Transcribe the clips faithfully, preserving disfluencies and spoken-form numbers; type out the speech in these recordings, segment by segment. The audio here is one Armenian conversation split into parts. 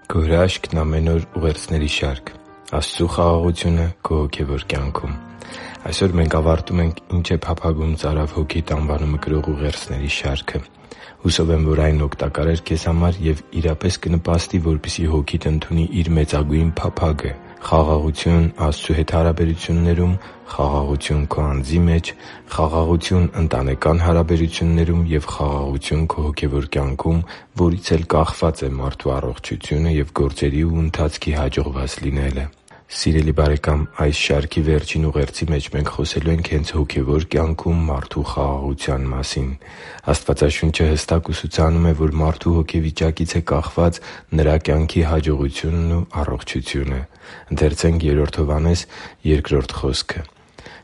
Քո հրաշքն ամեն օր ուղերձների շարք։ Աստծու խաղաղությունը քո հոգևոր կյանքում։ Այսօր մենք ավարտում ենք «Ինչ է փափագում ծարավ հոգիդ» անվանումը կրող ուղերձների շարքը։ Հուսով եմ, որ այն օգտակար էր քեզ համար և իրապես կնպաստի, որպեսզի հոգիդ ընդունի իր մեծագույն փափագը՝ խաղաղություն Աստծու հետ հարաբերություններում, խաղաղություն քո անձի մեջ, խաղաղություն ընտանեկան հարաբերություններում և խաղաղություն քո հոգևոր կյանքում, որից էլ կախված է մարդու առողջությունը և գործերի ու ընթացքի հաջողված լինելը։ Սիրելի՛ բարեկամ, այս շարքի վերջին ուղերձի մեջ մենք խոսելու ենք հենց հոգևոր կյանքում մարդու խաղաղության մասին։ Աստվածաշունչը հստակ ուսուցանում է, որ մարդու հոգեվիճակից է կախված նրա կյանքի հաջողությունն ու առողջությունը։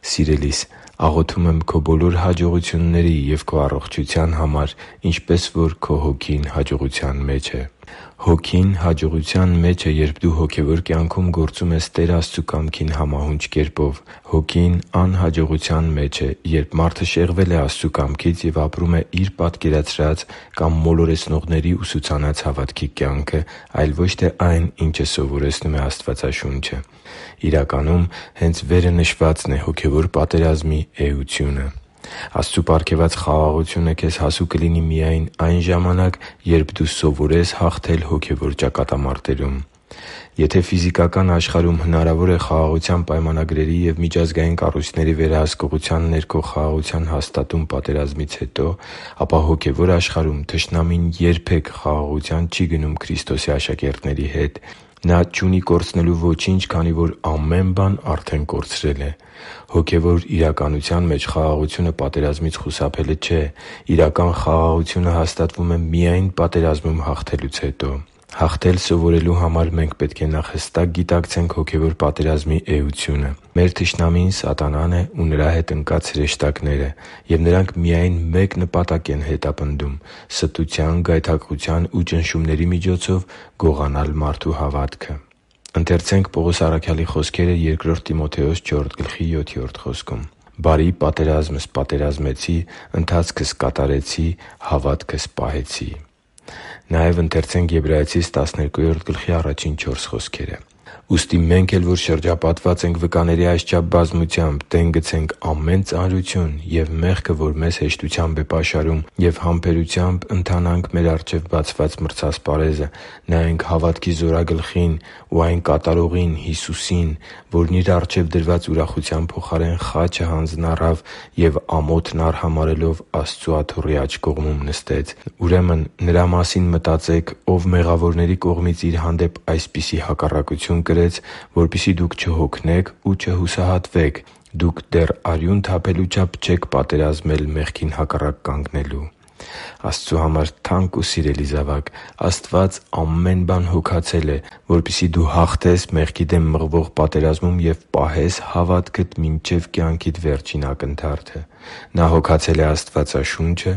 «Սիրելի՛ս, աղոթում եմ քո բոլոր հաջողությունների և քո առողջության համար, ինչպես որ քո հոգին հաջողության մեջ է» (Երրորդ Հովհաննես յոթ որդի): Հոգին հաջողության մեջ է, երբ դու հոգևոր կյանքում գործում ես Տեր Աստծու կամքին համահունչ կերպով։ Հոգին անհաջողության մեջ է, երբ մարդը շեղվել է Աստծու կամքից և ապրում է իր պատկերացրած կամ մոլորեցնողների ուսուցանած հավատքի կյանքը, այլ ոչ թե այն, ինչը սովորեցնում է Աստվածաշունչը։ Իրականում, հենց վերը նշվածն է հոգևոր պատերազմի էությունը։ Աստծու պարգևած խաղաղությունը քեզ հասու կլինի միայն այն ժամանակ, երբ դու սովորես հաղթել հոգևոր ճակատամարտերում։ Եթե ֆիզիկական աշխարհում հնարավոր է խաղաղության պայմանագրերի և միջազգային կառույցների վերահսկողության ներքո խաղաղության հաստատում պատերազմից հետո, ապա հոգևոր աշխարհում թշնամին երբե՛ք խաղաղության չի գնում Քրիստոսի աշակերտների հետ։ Նա չունի կորցնելու ոչինչ, քանի որ ամեն բան արդեն կորցրել է։ Հոգևոր իրականության մեջ խաղաղությունը պատերազմից խուսափելը չէ։ Իրական խաղաղությունը հաստատվում է միայն պատերազմում հաղթելուց հետո։ Հաղթել սովորելու համար մենք պետք է նախ հստակ գիտակցենք հոգևոր պատերազմի էությունը։ Մեր թշնամին սատանան է ու նրա հետ ընկած հրեշտակները, և նրանք միայն մեկ նպատակ են հետապնդում՝ ստության, գայթակղության ու ճնշումների միջոցով գողանալ մարդու հավատքը։ «Բարի պատերազմ սպատերազմեցի, ընթացքս կատարեցի, հավատքս պահեցի» (Պողոս. Եբրայեցիս տասներկու գլխի առաջին չորս խոսքերը)։ Ուստի մենք էլ, որ շրջապատված ենք վկաների այսչափ բազմությամբ, տեն գցենք ամեն ծանրություն և մեղքը, որ մեզ հեշտությամբ է պաշարում, և համբերությամբ ընթանանք մեր առջև բացված մրցասպարեզը, նայենք հավատքի Զորագլխին ու այն կատարողին՝ Հիսուսին, որն Իր առջև դրված ուրախության փոխարեն խաչը հանձն առավ և ամոթն արհամարհելով Աստծու աթոռի աջ կողմում նստեց։ Ուրեմն Նրա մասին մտածեք, Ով մեղավորների կողմից Իր հանդեպ այսպիսի հակառակություն կրեց, որպեսզի դուք չհոգնեք ու չհուսահատվեք։ Դուք դեռ արյուն թափելու չափ չեք պատերազմել մեղքին հակառակ կանգնելու» (Եբրայեցիս տասներկու. առաջին չորս խոսքերը)։ Աստծու համար թանկ ու սիրելի՛ զավակ, Աստված ամեն բան հոգացել է, որպեսզի դու հաղթես մեղքի դեմ մղվող պատերազմում և պահես հավատքդ մինչև կյանքիդ վերջին ակնթարթը։ Նա հոգացել է Աստվածաշունչը՝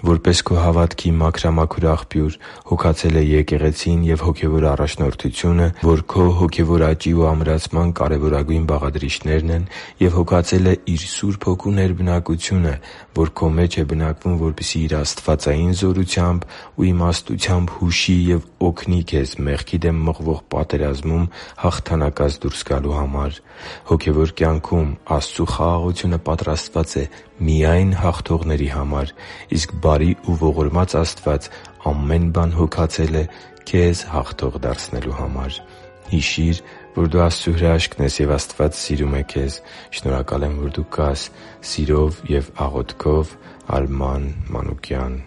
որպես քո հավատքի մաքրամաքուր աղբյուր, հոգացել է եկեղեցին և հոգևոր առաջնորդությունը, որ քո հոգևոր աճի ու ամրացման կարևորագույն բաղադրիչներն են, և հոգացել է Իր Սուրբ Հոգու ներբնակությունը, որ քո մեջ է բնակվում, որպեսզի Իր աստվածային զորությամբ ու իմաստությամբ հուշի և օգնի քեզ մեղքի դեմ մղվող պատերազմում հաղթանակած դուրս գալու համար։ Հոգևոր կյանքում Աստծու խաղաղությունը պատրաստված է միայն հաղթողների համար, իսկ բարի ու ողորմած Աստված ամեն բան հոգացել է քեզ հաղթող դարձնելու համար։ Հիշի՛ր, որ դու Աստծո հրաշքն ես, և Աստված սիրում է քեզ։ Շնորհակալ եմ, որ դու կա՛ս։ Սիրով և աղոթքով, Արման Մանուկյան։